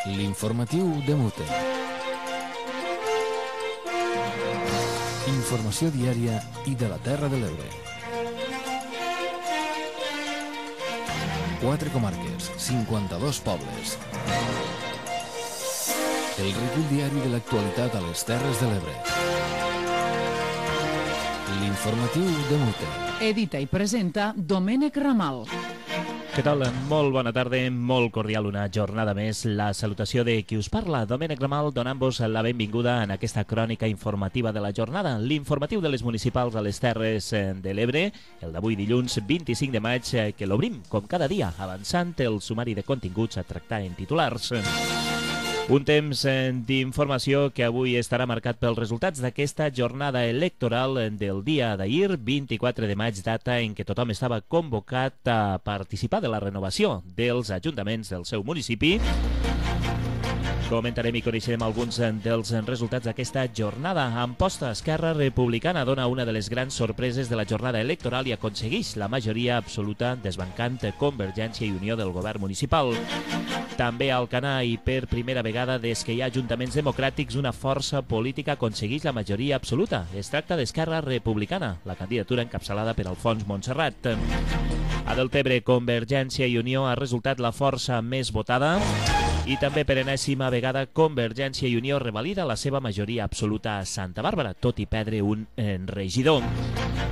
L'informatiu de Mute. Informació diària i de la Terra de l'Ebre. 4 comarques, 52 pobles. El recull diari de l'actualitat a les Terres de l'Ebre. L'informatiu de Mute. Edita i presenta Domènec Ramal. Què tal? Molt bona tarda, molt cordial una jornada més. La salutació de qui us parla, Domènec Ramal, donant-vos la benvinguda en aquesta crònica informativa de la jornada, l'informatiu de les municipals a les Terres de l'Ebre, el d'avui dilluns 25 de maig, que l'obrim, com cada dia, avançant el sumari de continguts a tractar en titulars. Un temps d'informació que avui estarà marcat pels resultats d'aquesta jornada electoral del dia d'ahir, 24 de maig, data en què tothom estava convocat a participar de la renovació dels ajuntaments del seu municipi. Comentarem i coneixerem alguns dels resultats d'aquesta jornada. Amposta, Esquerra Republicana dona una de les grans sorpreses de la jornada electoral i aconsegueix la majoria absoluta desbancant Convergència i Unió del govern municipal. També a Alcanar i per primera vegada des que hi ha ajuntaments democràtics una força política aconsegueix la majoria absoluta. Es tracta d'Esquerra Republicana, la candidatura encapçalada per Alfons Montserrat. A Deltebre, Convergència i Unió ha resultat la força més votada i també per enèsima vegada Convergència i Unió revalida la seva majoria absoluta a Santa Bàrbara, tot i perdre un regidor.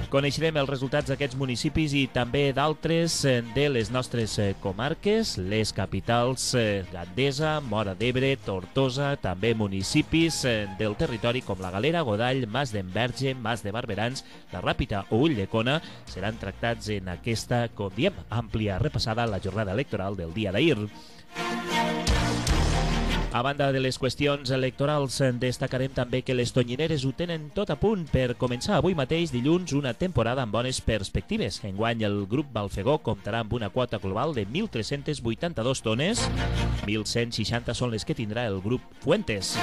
Coneixerem els resultats d'aquests municipis i també d'altres de les nostres comarques, les capitals Gandesa, Móra d'Ebre, Tortosa, també municipis del territori com la Galera, Godall, Mas d'Enverge, Mas de Barberans, la Ràpita o Ulldecona seran tractats en aquesta, com diem, àmplia repassada a la jornada electoral del dia d'ahir. A banda de les qüestions electorals, destacarem també que les tonyineres ho tenen tot a punt per començar avui mateix, dilluns, una temporada amb bones perspectives. Enguany, el grup Balfegó comptarà amb una quota global de 1.382 tones, 1.160 són les que tindrà el grup Fuentes.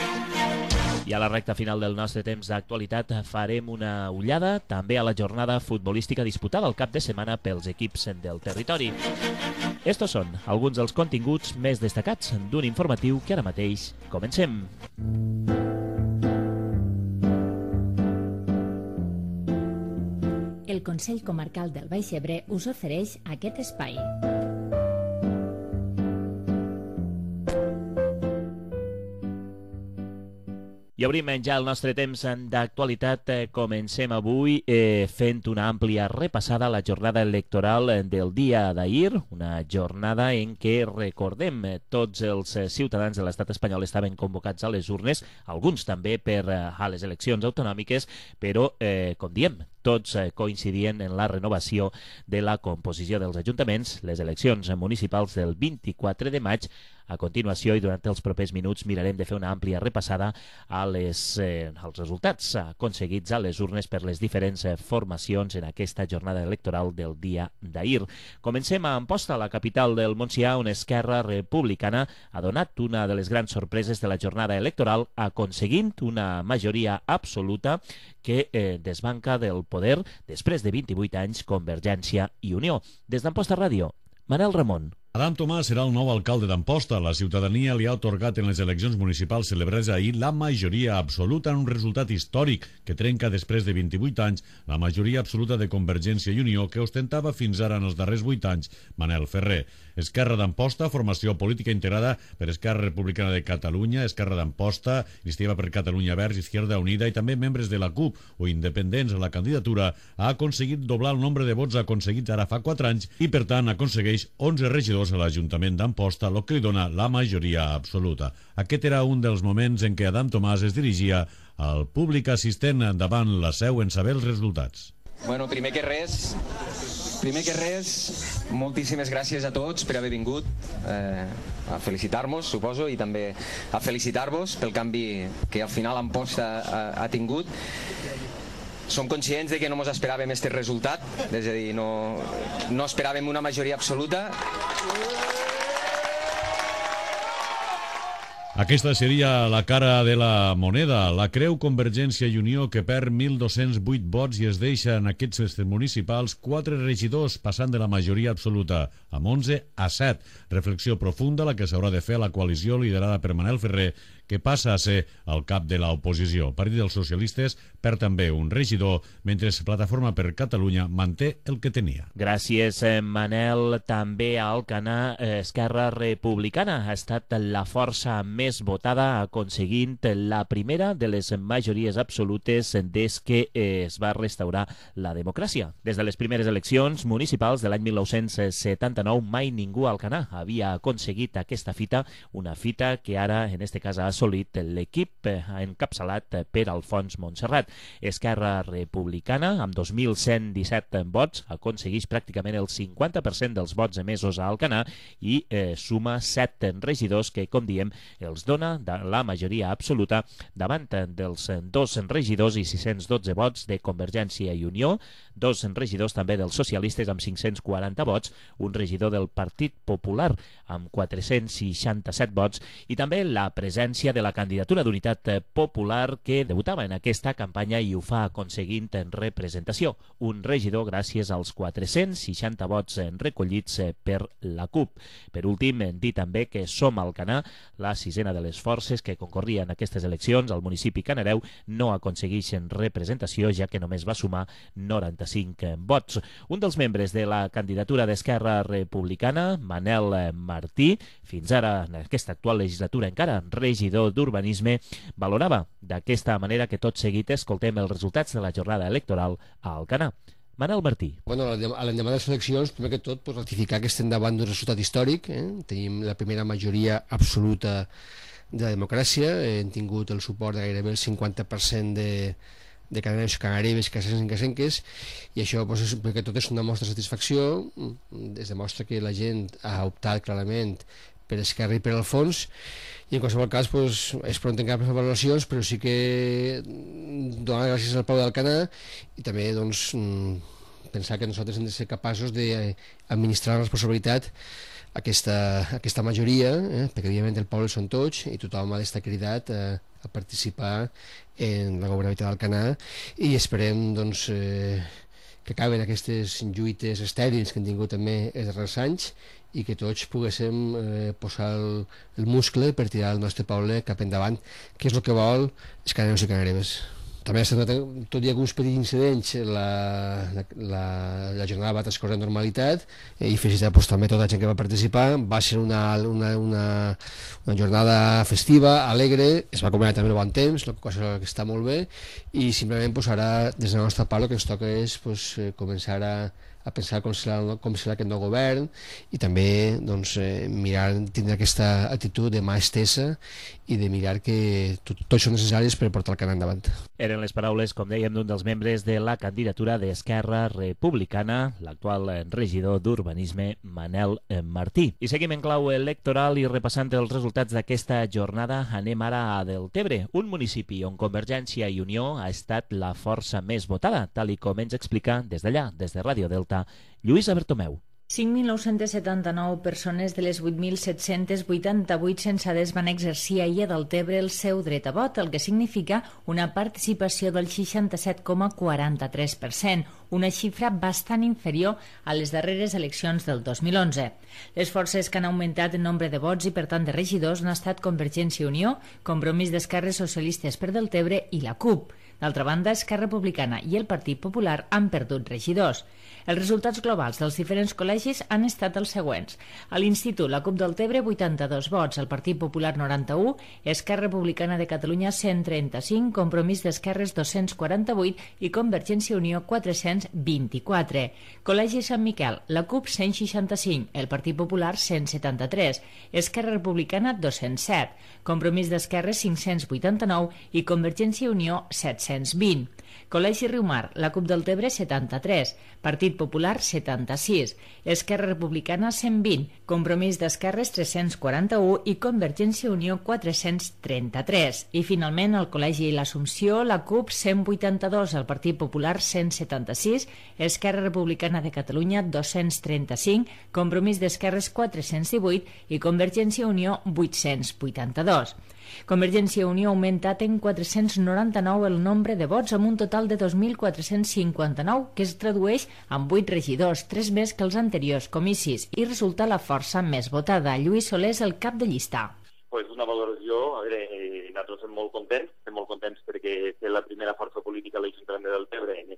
I a la recta final del nostre temps d'actualitat farem una ullada també a la jornada futbolística disputada al cap de setmana pels equips del territori. Estos són alguns dels continguts més destacats d'un informatiu que ara mateix comencem. El Consell Comarcal del Baix Ebre us ofereix aquest espai. I obrim ja el nostre temps d'actualitat. Comencem avui fent una àmplia repassada a la jornada electoral del dia d'ahir, una jornada en què, recordem, tots els ciutadans de l'estat espanyol estaven convocats a les urnes, alguns també per a les eleccions autonòmiques, però, com diem, tots coincidien en la renovació de la composició dels ajuntaments, les eleccions municipals del 24 de maig. A continuació i durant els propers minuts mirarem de fer una àmplia repassada als resultats aconseguits a les urnes per les diferents formacions en aquesta jornada electoral del dia d'ahir. Comencem a Amposta, la capital del Montsià, on Esquerra Republicana ha donat una de les grans sorpreses de la jornada electoral, aconseguint una majoria absoluta que desbanca del poder després de 28 anys Convergència i Unió. Des d'Amposta Ràdio, Manel Ramon. Adam Tomàs serà el nou alcalde d'Amposta. La ciutadania li ha atorgat en les eleccions municipals celebrades ahir la majoria absoluta en un resultat històric que trenca després de 28 anys la majoria absoluta de Convergència i Unió que ostentava fins ara en els darrers 8 anys Manel Ferrer. Esquerra d'Amposta, formació política integrada per Esquerra Republicana de Catalunya, Esquerra d'Amposta, Iniciativa per Catalunya Verds, Izquierda Unida i també membres de la CUP o independents a la candidatura, ha aconseguit doblar el nombre de vots aconseguits ara fa 4 anys i per tant aconsegueix 11 regidors a l'Ajuntament d'Amposta, el que li dona la majoria absoluta. Aquest era un dels moments en què Adam Tomàs es dirigia al públic assistent davant la seu en saber els resultats. Bueno, primer que res, moltíssimes gràcies a tots per haver vingut a felicitar-nos, suposo, i també a felicitar-vos pel canvi que al final Amposta ha tingut. Som conscients de que no ens esperàvem aquest resultat, és a dir, no esperàvem una majoria absoluta. Aquesta seria la cara de la moneda. La creu Convergència i Unió, que perd 1.208 vots i es deixa en aquests municipals 4 regidors, passant de la majoria absoluta amb 11 a 7. Reflexió profunda la que s'haurà de fer a la coalició liderada per Manel Ferrer, que passa a ser el cap de l'oposició. Partit dels Socialistes perd també un regidor, mentre Plataforma per Catalunya manté el que tenia. Gràcies, Manel. També a Alcanar, Esquerra Republicana ha estat la força més votada, aconseguint la primera de les majories absolutes des que es va restaurar la democràcia. Des de les primeres eleccions municipals de l'any 1979, mai ningú a Alcanar havia aconseguit aquesta fita, una fita que ara, en este cas, ha assolit l'equip encapçalat per Alfons Montserrat. Esquerra Republicana, amb 2.117 vots, aconsegueix pràcticament el 50% dels vots emesos a Alcanar i suma 7 regidors que, com diem, els dona la majoria absoluta davant dels 2 regidors i 612 vots de Convergència i Unió, 2 regidors també dels socialistes amb 540 vots, un regidor del Partit Popular amb 467 vots i també la presència de la candidatura d'Unitat Popular que debutava en aquesta campanya i ho fa aconseguint en representació. Un regidor gràcies als 460 vots recollits per la CUP. Per últim, dir també que Som Alcanar, la sisena de les forces que concorrien en aquestes eleccions al municipi canareu, no aconsegueixen representació, ja que només va sumar 95 vots. Un dels membres de la candidatura d'Esquerra Republicana, Manel Martí, fins ara en aquesta actual legislatura encara regidor d'Urbanisme, valorava d'aquesta manera que tot seguit escoltem els resultats de la jornada electoral a Alcanar. Manel Martí. Bueno, a l'endemà de les eleccions, primer que tot, ratificar que estem davant d'un resultat històric. Tenim la primera majoria absoluta de la democràcia, hem tingut el suport de gairebé el 50% de cananeus, canareves, casencs i casenques, i això, primer que tot, és una mostra de satisfacció. Es demostra que la gent ha optat clarament per Esquerra i per Alfons, i en qualsevol cas és prou encara per fer valoracions, però sí que donar gràcies al poble d'Alcanar i també pensar que nosaltres hem de ser capaços d'administrar la responsabilitat aquesta majoria, perquè evidentment el poble són tots i tothom ha d'estar cridat a participar en la governabilitat d'Alcanar, i esperem que acaben aquestes lluites estèrils que han tingut també els darrers anys i que tots poguéssim posar el muscle per tirar el nostre poble cap endavant, que és el que vol els cananeus i canareves. També, tot i alguns petits incidents, la jornada va transcorrer en normalitat i felicitar també tota la gent que va participar. Va ser una jornada festiva, alegre, es va combinar també el bon temps, cosa que està molt bé, i simplement ara des de la nostra part el que ens toca és començar a pensar com serà aquest nou govern i també mirar, tindre aquesta actitud de mà estesa i de mirar que tots són necessaris per portar el Canà endavant. Eren les paraules, com dèiem, d'un dels membres de la candidatura d'Esquerra Republicana, l'actual regidor d'Urbanisme, Manel Martí. I seguim en clau electoral i repassant els resultats d'aquesta jornada, anem ara a Deltebre, un municipi on Convergència i Unió ha estat la força més votada, tal i com ens explica des d'allà, des de Ràdio Delta, Lluïsa Bertomeu. 5.979 persones de les 8.788 censades van exercir ahir a Deltebre el seu dret a vot, el que significa una participació del 67,43%, una xifra bastant inferior a les darreres eleccions del 2011. Les forces que han augmentat en nombre de vots i, per tant, de regidors han estat Convergència i Unió, Compromís d'Esquerres Socialistes per Deltebre i la CUP. D'altra banda, Esquerra Republicana i el Partit Popular han perdut regidors. Els resultats globals dels diferents col·legis han estat els següents. A l'Institut, la CUP Deltebre, 82 vots, el Partit Popular 91, Esquerra Republicana de Catalunya 135, Compromís d'Esquerres 248 i Convergència i Unió 424. Col·legi Sant Miquel, la CUP 165, el Partit Popular 173, Esquerra Republicana 207, Compromís d'Esquerres 589 i Convergència i Unió 720. Col·legi Riumar, la CUP del Tebre 73, Partit Popular 76, Esquerra Republicana 120, Compromís d'Esquerres 341 i Convergència i Unió 433. I finalment el Col·legi l'Assumpció, la CUP 182, el Partit Popular 176, Esquerra Republicana de Catalunya 235, Compromís d'Esquerres 418 i Convergència i Unió 882. Convergència i Unió ha augmentat en 499 el nombre de vots amb un total de 2.459, que es tradueix en 8 regidors, 3 més que els anteriors comicis, i resulta la força més votada. Lluís Soler és el cap de llista. Pues una valoració, a veure, nosaltres estem molt contents perquè és la primera força política a l'Ajuntament de Deltebre en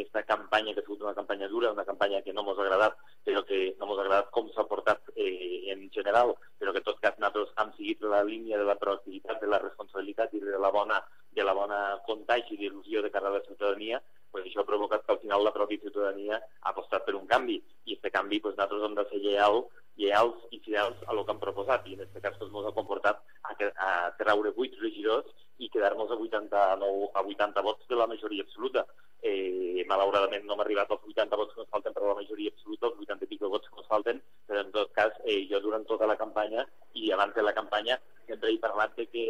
esta campanya, que ha sigut una campanya dura, una campanya que no ens ha agradat, però que no ens ha agradat com s'ha portat en general, però que en tot cas nosaltres hem seguit la línia de la proactivitat, de la responsabilitat i de la bona contagi d'il·lusió de cara a la ciutadania. Pues això ha provocat que al final la pròpia ciutadania ha apostat per un canvi, i aquest canvi pues, nosaltres hem de ser lleials i fidels a lo que han proposat, i en aquest cas ens ha comportat a treure 8 regidors i quedar-nos a 80 vots de la majoria absoluta. Malauradament no hem arribat als 80 vots que ens falten per a la majoria absoluta, els 80 i pico vots que ens falten, però en tot cas jo durant tota la campanya i abans de la campanya sempre he parlat de que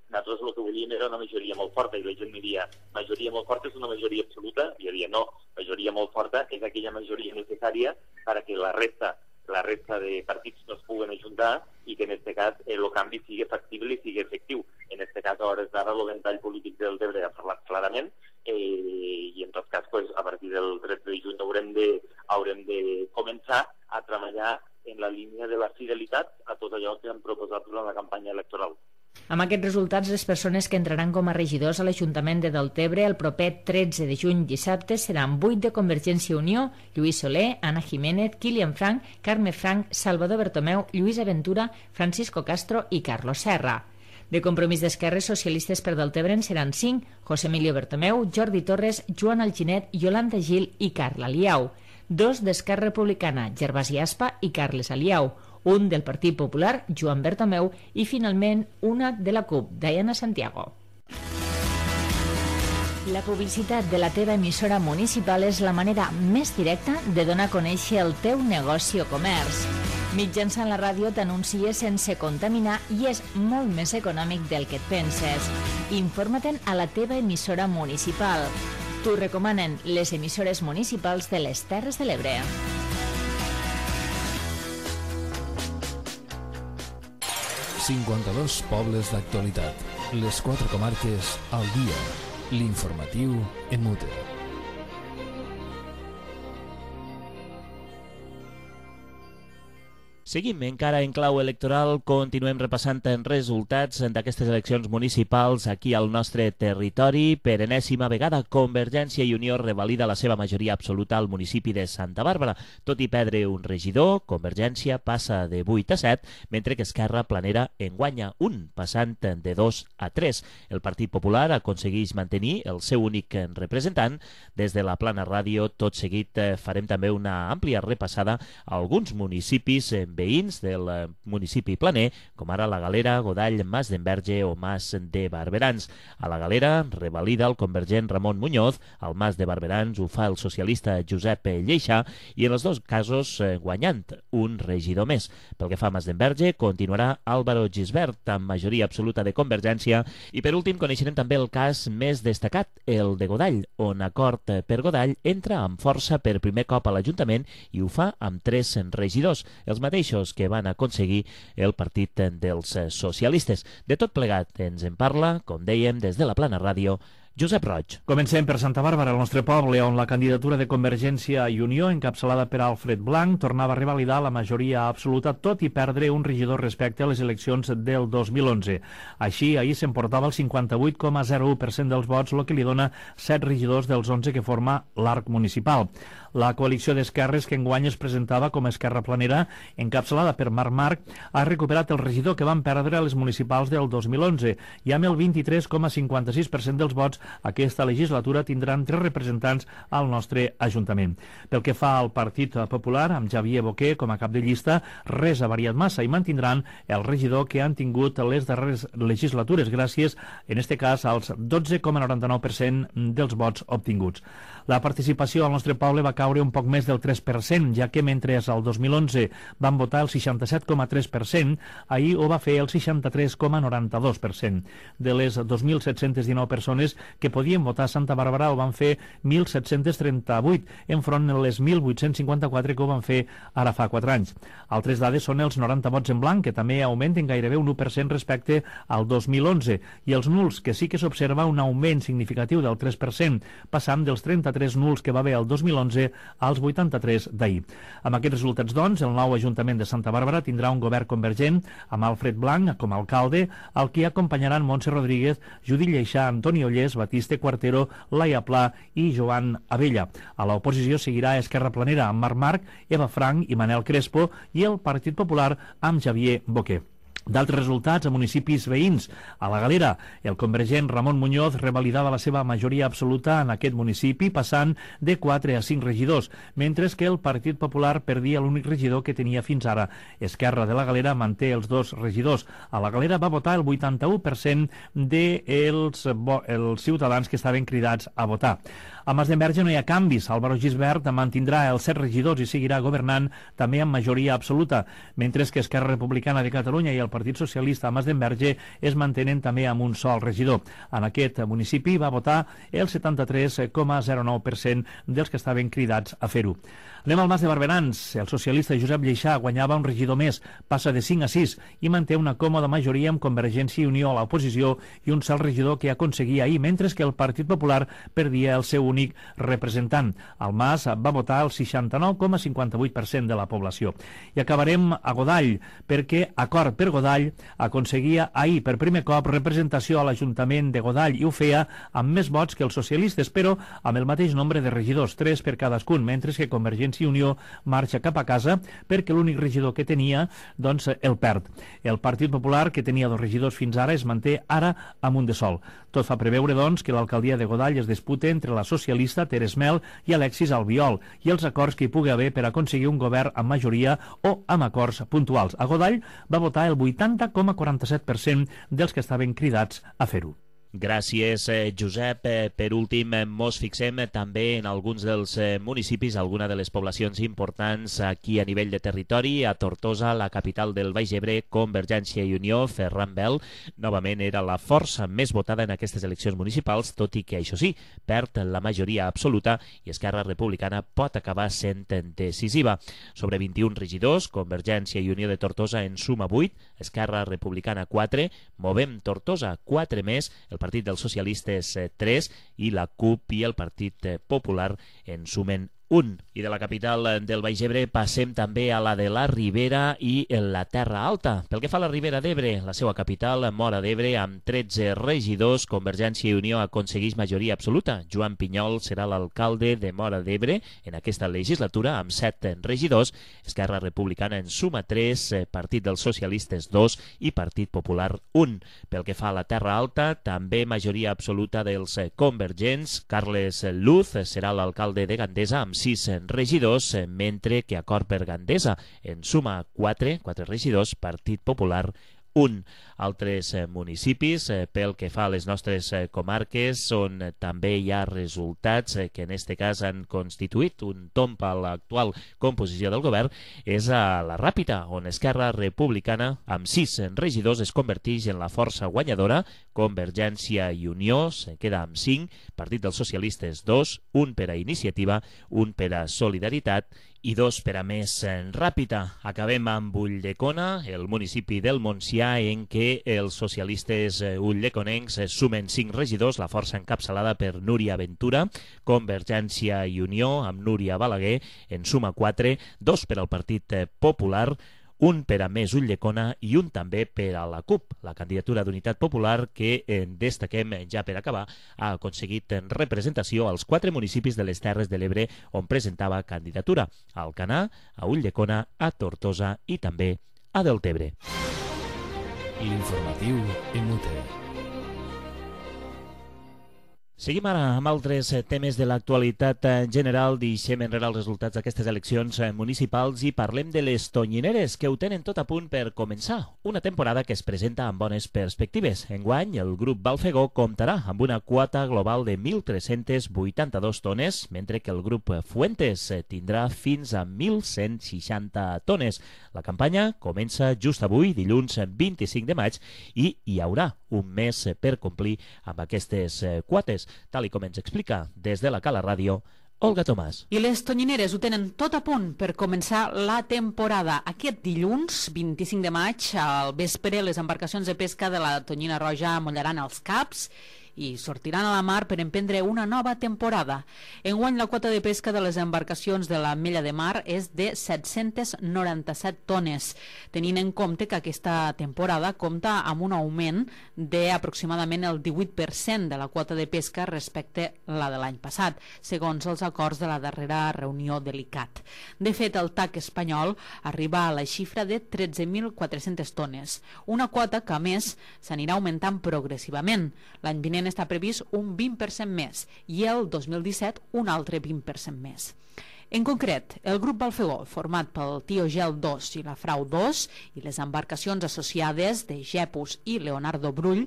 nosaltres el que volíem era una majoria molt forta, i la gent em diria, majoria molt forta és una majoria absoluta? I jo diria, no, majoria molt forta és aquella majoria necessària perquè la resta de partits no es puguen ajuntar i que en aquest cas el canvi sigui factible i sigui efectiu. En aquest cas, a hores d'ara, el ventall polític del Deltebre ha parlat clarament i en tot cas, pues, a partir del 13 de juny haurem de començar a treballar en la línia de la fidelitat a tot allò que han proposat durant la campanya electoral. Amb aquests resultats, les persones que entraran com a regidors a l'Ajuntament de Deltebre el proper 13 de juny dissabte seran 8 de Convergència i Unió, Lluís Soler, Anna Jiménez, Kilian Frank, Carme Frank, Salvador Bertomeu, Lluís Aventura, Francisco Castro i Carlos Serra. De Compromís d'Esquerres Socialistes per Deltebre en seran 5, José Emilio Bertomeu, Jordi Torres, Joan Alginet, Yolanda Gil i Carla Liau. 2 d'Esquerra Republicana, Gervasi Aspa i Carles Aliau. 1 del Partit Popular, Joan Bertomeu, i finalment una de la CUP, Diana Santiago. La publicitat de la teva emissora municipal és la manera més directa de donar a conèixer el teu negoci o comerç. Mitjançant la ràdio t'anuncies sense contaminar i és molt més econòmic del que et penses. Informa-te'n a la teva emissora municipal. T'ho recomanen les emissores municipals de les Terres de l'Ebre. ...52 pobles d'actualitat. Les 4 comarques al dia. L'informatiu en mute. Seguim encara en clau electoral, continuem repassant resultats d'aquestes eleccions municipals aquí al nostre territori. Per enèsima vegada, Convergència i Unió revalida la seva majoria absoluta al municipi de Santa Bàrbara. Tot i perdre un regidor, Convergència passa de 8 a 7, mentre que Esquerra Planera en guanya un, passant de 2 a 3. El Partit Popular aconsegueix mantenir el seu únic representant. Des de la Plana Ràdio, tot seguit farem també una àmplia repassada a alguns municipis veïns del municipi planer, com ara la Galera, Godall, Mas d'Enverge o Mas de Barberans. A la Galera revalida el convergent Ramon Muñoz, al Mas de Barberans ho fa el socialista Josep Lleixà, i en els dos casos guanyant un regidor més. Pel que fa a Mas d'Enverge, continuarà Álvaro Gisbert, amb majoria absoluta de Convergència, i per últim coneixerem també el cas més destacat, el de Godall, on Acord per Godall entra amb força per primer cop a l'Ajuntament i ho fa amb 3 regidors, els mateixos que van aconseguir el partit dels socialistes. De tot plegat ens en parla, com dèiem, des de la Plana Ràdio, Josep Roig. Comencem per Santa Bàrbara, el nostre poble, on la candidatura de Convergència i Unió, encapçalada per Alfred Blanc, tornava a revalidar la majoria absoluta, tot i perdre un regidor respecte a les eleccions del 2011. Així, ahir s'emportava el 58,01% dels vots, el que li dona 7 regidors dels 11 que forma l'arc municipal. La coalició d'esquerres, que enguany es presentava com a Esquerra Planera, encapçalada per Marc, ha recuperat el regidor que van perdre a les municipals del 2011 i amb el 23,56% dels vots aquesta legislatura tindran 3 representants al nostre Ajuntament. Pel que fa al Partit Popular, amb Xavier Boquer com a cap de llista, res ha variat massa i mantindran el regidor que han tingut les darreres legislatures, gràcies, en este cas, als 12,99% dels vots obtinguts. La participació al nostre poble va caure un poc més del 3%, ja que mentre al 2011 van votar el 67,3%, ahir ho va fer el 63,92%. De les 2.719 persones que podien votar a Santa Bàrbara ho van fer 1.738, enfront de les 1.854 que ho van fer ara fa 4 anys. Altres dades són els 90 vots en blanc, que també augmenten gairebé un 1% respecte al 2011, i els nuls, que sí que s'observa un augment significatiu del 3%, passant dels 33 nuls que va haver el 2011 als 83 d'ahir. Amb aquests resultats, doncs, el nou Ajuntament de Santa Bàrbara tindrà un govern convergent amb Alfred Blanc com a alcalde, al que acompanyaran Montse Rodríguez, Judit Lleixà, Antoni Ollés, Batiste Cuartero, Laia Pla i Joan Abella. A l'oposició seguirà Esquerra Planera amb Marc Marc, Eva Frank i Manel Crespo, i el Partit Popular amb Xavier Boquer. D'altres resultats a municipis veïns. A la Galera, el convergent Ramon Muñoz revalidava la seva majoria absoluta en aquest municipi, passant de 4 a 5 regidors, mentre que el Partit Popular perdia l'únic regidor que tenia fins ara. Esquerra de la Galera manté els 2 regidors. A la Galera va votar el 81% dels ciutadans que estaven cridats a votar. A Masdenverge no hi ha canvis. Álvaro Gisbert mantindrà els 7 regidors i seguirà governant també amb majoria absoluta, mentre que Esquerra Republicana de Catalunya i el Partit Socialista a Masdenverge es mantenen també amb un sol regidor. En aquest municipi va votar el 73,09% dels que estaven cridats a fer-ho. Anem al Mas de Barberans. El socialista Josep Lleixà guanyava un regidor més, passa de 5 a 6 i manté una còmoda majoria amb Convergència i Unió a l'oposició i un sol regidor que aconseguia ahir, mentre que el Partit Popular perdia el seu únic representant. El Mas va votar el 69,58% de la població. I acabarem a Godall, perquè Acord per Godall aconseguia ahir per primer cop representació a l'Ajuntament de Godall i ho feia amb més vots que els socialistes, però amb el mateix nombre de regidors, 3 per cadascun, mentre que Convergència i Unió marxa cap a casa perquè l'únic regidor que tenia, doncs, el perd. El Partit Popular, que tenia 2 regidors fins ara, es manté ara amb un de sol. Tot fa preveure, doncs, que l'alcaldia de Godall es disputa entre la socialista Teres Mel i Alexis Albiol i els acords que hi pugui haver per aconseguir un govern amb majoria o amb acords puntuals. A Godall va votar el 80,47% dels que estaven cridats a fer-ho. Gràcies, Josep. Per últim, mos fixem també en alguns dels municipis, alguna de les poblacions importants aquí a nivell de territori. A Tortosa, la capital del Baix Ebre, Convergència i Unió, Ferran Bel, novament era la força més votada en aquestes eleccions municipals, tot i que, això sí, perd la majoria absoluta i Esquerra Republicana pot acabar sent decisiva. Sobre 21 regidors, Convergència i Unió de Tortosa en suma 8, Esquerra Republicana 4, Movem Tortosa 4 més, el Partit dels Socialistes 3 i la CUP i el Partit Popular en sumen 1. I de la capital del Baix Ebre passem també a la de la Ribera i la Terra Alta. Pel que fa a la Ribera d'Ebre, la seva capital, Móra d'Ebre, amb 13 regidors, Convergència i Unió aconsegueix majoria absoluta. Joan Pinyol serà l'alcalde de Móra d'Ebre en aquesta legislatura, amb 7 regidors. Esquerra Republicana en suma 3, Partit dels Socialistes 2 i Partit Popular 1. Pel que fa a la Terra Alta, també majoria absoluta dels convergents. Carles Luz serà l'alcalde de Gandesa amb 6 regidors, mentre que Acord per Gandesa en suma 4 regidors, Partit Popular 1. Altres municipis, pel que fa a les nostres comarques, on també hi ha resultats que en aquest cas han constituït un tomb a l'actual composició del govern, és a la Ràpita, on Esquerra Republicana, amb 6 regidors, es converteix en la força guanyadora. Convergència i Unió se queda amb 5, Partit dels Socialistes 2, un per a Iniciativa, un per a Solidaritat i 2 per a Més Ràpita. Acabem amb Ulldecona, el municipi del Montsià, en què els socialistes ulldeconencs sumen 5 regidors, la força encapçalada per Núria Ventura. Convergència i Unió, amb Núria Balaguer, en suma 4, 2 per al Partit Popular, un per a Més Ulldecona i un també per a la CUP, la candidatura d'Unitat Popular, que destaquem ja per acabar, ha aconseguit representació als 4 municipis de les Terres de l'Ebre on presentava candidatura: a Alcanar, a Ulldecona, a Tortosa i també a Deltebre. L'informatiu MUT. Seguim ara amb altres temes de l'actualitat general. Deixem enrere els resultats d'aquestes eleccions municipals i parlem de les Tonyineres, que ho tenen tot a punt per començar. Una temporada que es presenta amb bones perspectives. Enguany, el grup Balfegó comptarà amb una quota global de 1.382 tones, mentre que el grup Fuentes tindrà fins a 1.160 tones. La campanya comença just avui, dilluns 25 de maig, i hi haurà un mes per complir amb aquestes quotes, tal i com ens explica des de la Cala Ràdio Olga Tomàs. I les Tonyineres ho tenen tot a punt per començar la temporada. Aquest dilluns, 25 de maig, al vespre, les embarcacions de pesca de la Tonyina Roja mollaran els caps i sortiran a la mar per emprendre una nova temporada. Enguany, la quota de pesca de les embarcacions de la Mella de Mar és de 797 tones, tenint en compte que aquesta temporada compta amb un augment d'aproximadament el 18% de la quota de pesca respecte a la de l'any passat, segons els acords de la darrera reunió de l'ICAT. De fet, el TAC espanyol arriba a la xifra de 13.400 tones, una quota que, a més, s'anirà augmentant progressivament. L'any vinent està previst un 20% més i el 2017 un altre 20% més. En concret, el grup Balfegó, format pel Tio Gel 2 i la Frau 2 i les embarcacions associades de Gepus i Leonardo Brull,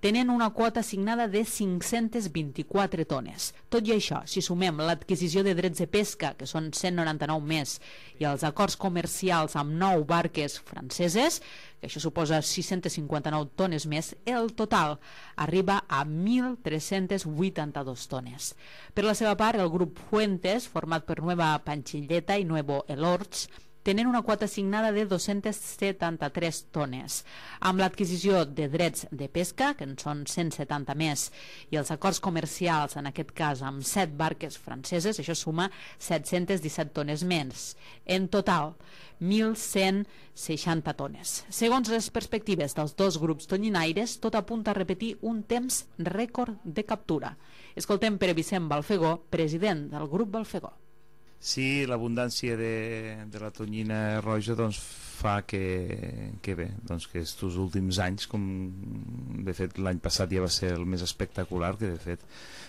tenen una quota assignada de 524 tones. Tot i això, si sumem l'adquisició de drets de pesca, que són 199 més, i els acords comercials amb 9 barques franceses, que això suposa 659 tones més, el total arriba a 1.382 tones. Per la seva part, el grup Fuentes, format per Nueva Panchilleta i Nuevo Elorts, tenen una quota assignada de 273 tones. Amb l'adquisició de drets de pesca, que en són 170 més, i els acords comercials, en aquest cas amb 7 barques franceses, això suma 717 tones més. En total, 1.160 tones. Segons les perspectives dels dos grups tonyinaires, tot apunta a repetir un temps rècord de captura. Escoltem Pere Vicent Balfegó, president del grup Balfegó. Sí, l'abundància de la tonyina roja doncs, fa que bé, doncs que estos últims anys, com de fet l'any passat ja va ser el més espectacular, que de fet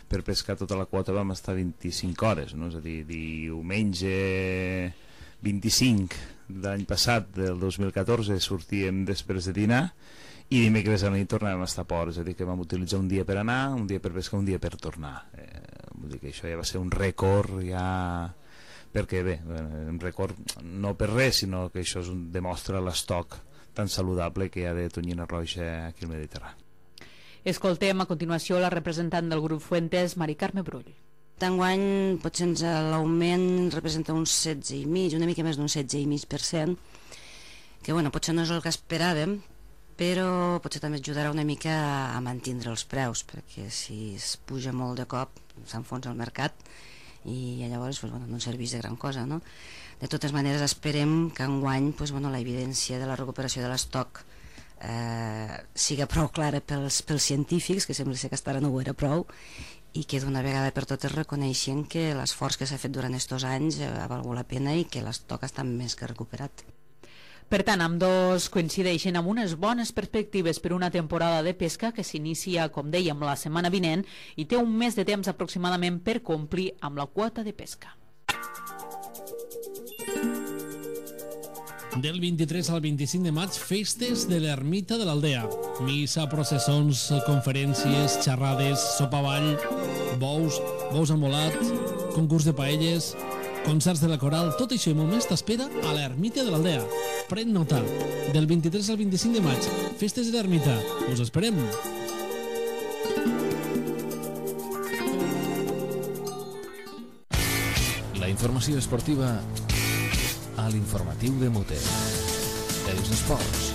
per pescar tota la quota vam estar 25 hores, no? És a dir, diumenge 25 de l'any passat, del 2014, sortíem després de dinar i dimecres a la nit tornàvem a estar a port, és a dir, que vam utilitzar un dia per anar, un dia per pescar, un dia per tornar. Vull dir que això ja va ser un rècord, ja... perquè bé, un rècord no per res, sinó que això demostra l'estoc tan saludable que hi ha de tonyina roja aquí al Mediterrani. Escoltem a continuació la representant del grup Fuentes, Mari Carme Brull. Enguany potser l'augment representa un 16,5%, una mica més d'un 16,5%, que bueno, potser no és el que esperàvem, però potser també ajudarà una mica a mantenir els preus, perquè si es puja molt de cop s'enfonsa el mercat i llavors no serveix de gran cosa, no? De totes maneres esperem que enguany la evidència de la recuperació de l'estoc siga prou clara pels científics, que sembla ser que hasta ara no ho era prou, i que d'una vegada per totes reconeixen que l'esforç que s'ha fet durant aquests anys ha valgut la pena i que l'estoc està més que recuperat. Per tant, ambdós coincideixen amb unes bones perspectives per una temporada de pesca que s'inicia, com dèiem, la setmana vinent i té un mes de temps aproximadament per complir amb la quota de pesca. Del 23 al 25 de maig, festes de l'ermita de l'Aldea. Missa, processons, conferències, xerrades, sopa ball, bous amb volat, concurs de paelles, concerts de la coral, tot això i molt més t'espera a l'ermita de l'Aldea. Pren nota, del 23 al 25 de maig, festes de l'ermita. Us esperem! La informació esportiva a l'informatiu de Mute. Els esports.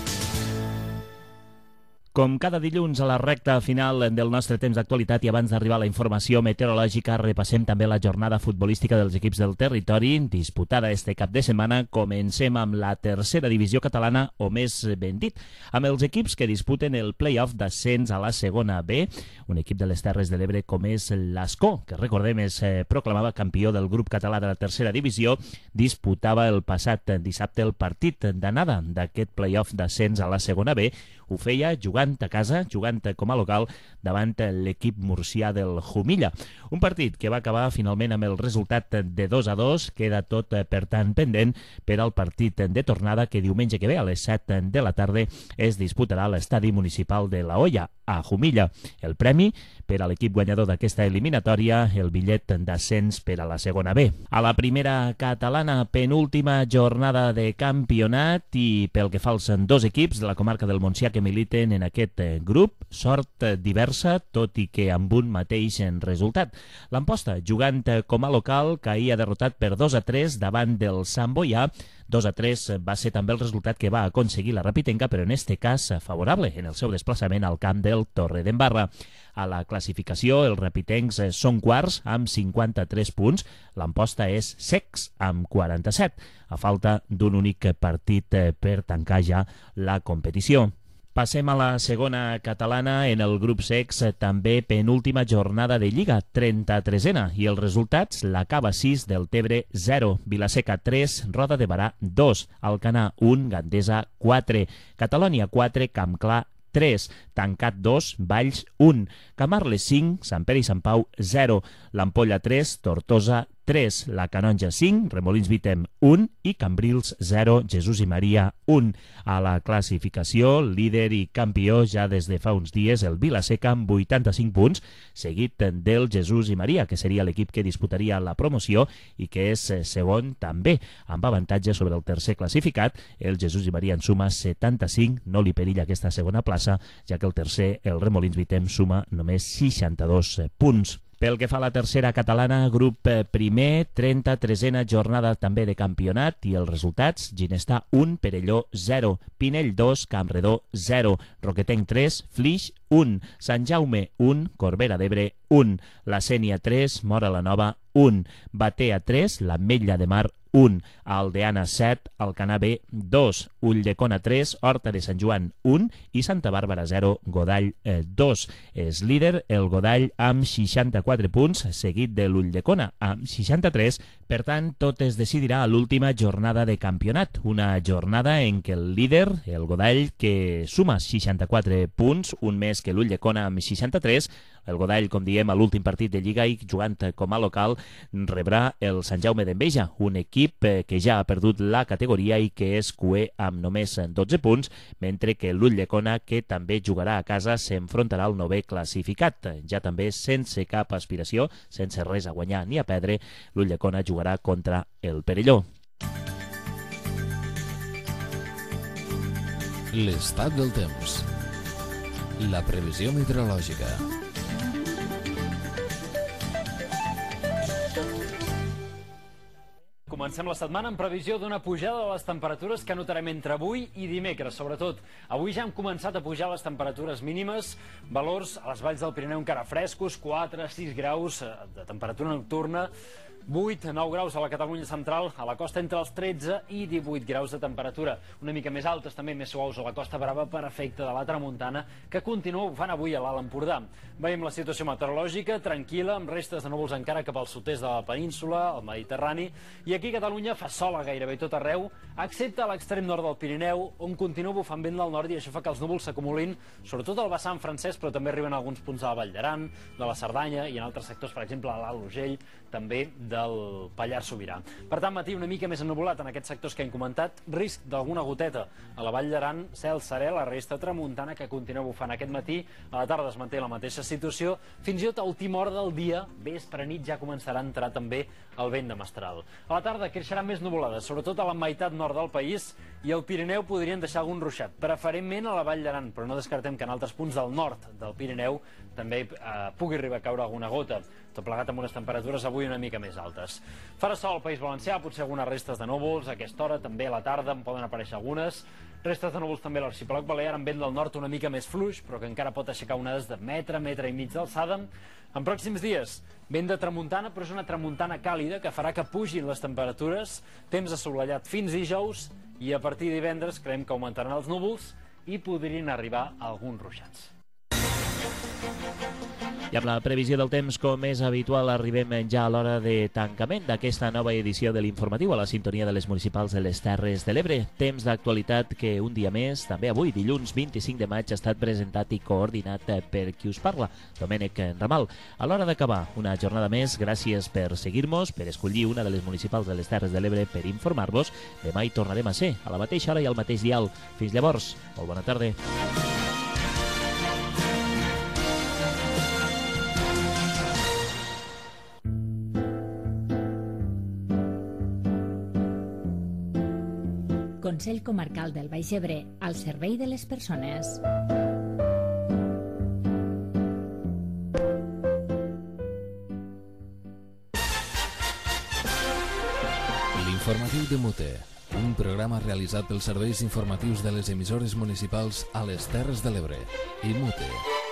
Com cada dilluns a la recta final del nostre temps d'actualitat i abans d'arribar a la informació meteorològica, repassem també la jornada futbolística dels equips del territori disputada este cap de setmana. Comencem amb la tercera divisió catalana, o més ben dit, amb els equips que disputen el play-off d'ascens a la segona B. Un equip de les Terres de l'Ebre com és l'Ascó, que recordem es proclamava campió del grup català de la tercera divisió, disputava el passat dissabte el partit d'anada d'aquest play-off d'ascens a la segona B, Ho feia jugant a casa, jugant com a local davant l'equip murcià del Jumilla. Un partit que va acabar finalment amb el resultat de 2-2, queda tot per tant pendent per al partit de tornada que diumenge que ve a les 7 de la tarda es disputarà a l'estadi municipal de La Hoya, a Jumilla. El premi per a l'equip guanyador d'aquesta eliminatòria, el bitllet d'ascens per a la segona B. A la primera catalana, penúltima jornada de campionat i pel que fa als dos equips de la comarca del Montsià que militen en aquest grup, sort diversa, tot i que amb un mateix resultat. L'Amposta, jugant com a local, caïa derrotat per 2-3 davant del Sant Boià. 2-3 va ser també el resultat que va aconseguir la Rapitenca, però en este cas favorable en el seu desplaçament al camp del Torredembarra. A la classificació, els rapitencs són quarts amb 53 punts, l'Amposta és secs amb 47, a falta d'un únic partit per tancar ja la competició. Passem a la segona catalana. En el grup secs, també penúltima jornada de Lliga, 33ena, i els resultats: la Cava 6, del Tebre 0, Vilaseca 3, Roda de Barà 2, Alcanar 1, Gandesa 4, Catalònia 4, Campclar 3, Tancat 2, Valls 1, Camarles 5, Sant Pere i Sant Pau 0, l'Ampolla 3, Tortosa 3, la Canonja 5, Remolins Vitem 1 i Cambrils 0, Jesús i Maria 1. A la classificació, líder i campió ja des de fa uns dies, el Vilaseca amb 85 punts, seguit del Jesús i Maria, que seria l'equip que disputaria la promoció i que és segon també, amb avantatge sobre el tercer classificat. El Jesús i Maria en suma 75, no li perilla aquesta segona plaça, ja que el tercer, el Remolins Vitem, suma només 62 punts. Pel que fa a la tercera catalana, grup primer, 33ena jornada també de campionat i els resultats: Ginestà 1, Perelló 0, Pinell 2, Campredó 0, Roquetenc 3, Flix 1, Sant Jaume 1, Corbera d'Ebre 1, La Sénia 3, Móra la Nova 1, Batea 3, l'Ametlla de Mar 1, Aldeana 7, Alcanar B 2, Ulldecona 3, Horta de Sant Joan 1 i Santa Bàrbara 0, Godall 2. És líder el Godall amb 64 punts, seguit de l'Ulldecona amb 63. Per tant, tot es decidirà a l'última jornada de campionat, una jornada en què el líder, el Godall, que suma 64 punts, un més que l'Ulldecona amb 63, el Godall, com diem, a l'últim partit de Lliga i jugant com a local, rebrà el Sant Jaume d'Enveja, un equip que ja ha perdut la categoria i que és cuer amb només 12 punts, mentre que l'Ulldecona, que també jugarà a casa, s'enfrontarà al 9è classificat. Ja també sense cap aspiració, sense res a guanyar ni a perdre, l'Ulldecona jugarà contra el Perelló. L'estat del temps. La previsió meteorològica. Comencem la setmana amb previsió d'una pujada de les temperatures que notarem entre avui i dimecres. Sobretot, avui ja hem començat a pujar les temperatures mínimes, valors a les valls del Pirineu encara frescos, 4-6 graus de temperatura nocturna, 8-9 graus a la Catalunya central, a la costa entre els 13 i 18 graus de temperatura. Una mica més altes, també més suaus a la Costa Brava per efecte de la tramuntana, que continua bufant avui a l'Alt Empordà. Veiem la situació meteorològica tranquil·la, amb restes de núvols encara cap al sud-est de la península, al Mediterrani, i aquí a Catalunya fa sol a gairebé tot arreu, excepte a l'extrem nord del Pirineu, on continua bufant vent del nord i això fa que els núvols s'acumulin, sobretot al vessant francès, però també arriben a alguns punts de la Vall d'Aran, de la Cerdanya i en altres sectors, per exemple, a l'Alt Urgell, també del Pallars Sobirà. Per tant, matí una mica més ennuvolat en aquests sectors que hem comentat, risc d'alguna goteta a la Vall d'Aran, cel serè, la resta tramuntana que continua bufant aquest matí, a la tarda es manté la mateixa situació, fins i tot a última hora del dia, vespre nit, ja començarà a entrar també el vent de mestral. A la tarda creixeran més nuvolades, sobretot a la meitat nord del país, i al Pirineu podrien deixar algun ruixat, preferentment a la Vall d'Aran, però no descartem que en altres punts del nord del Pirineu també pugui arribar a caure alguna gota, tot plegat amb unes temperatures avui una mica més altes. Farà sol al País Valencià, potser algunes restes de núvols, a aquesta hora també a la tarda en poden aparèixer algunes, restes de núvols també a l'arxipèlag balear amb vent del nord una mica més fluix, però que encara pot aixecar onades de metre i mig d'alçada. En pròxims dies, vent de tramuntana, però és una tramuntana càlida que farà que pugin les temperatures, temps assolellat fins dijous, i a partir de divendres creiem que augmentaran els núvols i podrien arribar alguns ruixats. I amb la previsió del temps, com és habitual, arribem ja a l'hora de tancament d'aquesta nova edició de l'informatiu a la sintonia de les municipals de les Terres de l'Ebre. Temps d'actualitat que un dia més, també avui, dilluns 25 de maig, ha estat presentat i coordinat per qui us parla, Domènec Ramal. A l'hora d'acabar una jornada més, gràcies per seguir-nos, per escollir una de les municipals de les Terres de l'Ebre per informar-vos. Demà hi tornarem a ser, a la mateixa hora i al mateix dial. Fins llavors, molt bona tarda. Consell Comarcal del Baix Ebre, al servei de les persones. L'informatiu de Mute, un programa realitzat pels serveis informatius de les emissores municipals a les Terres de l'Ebre i Mute.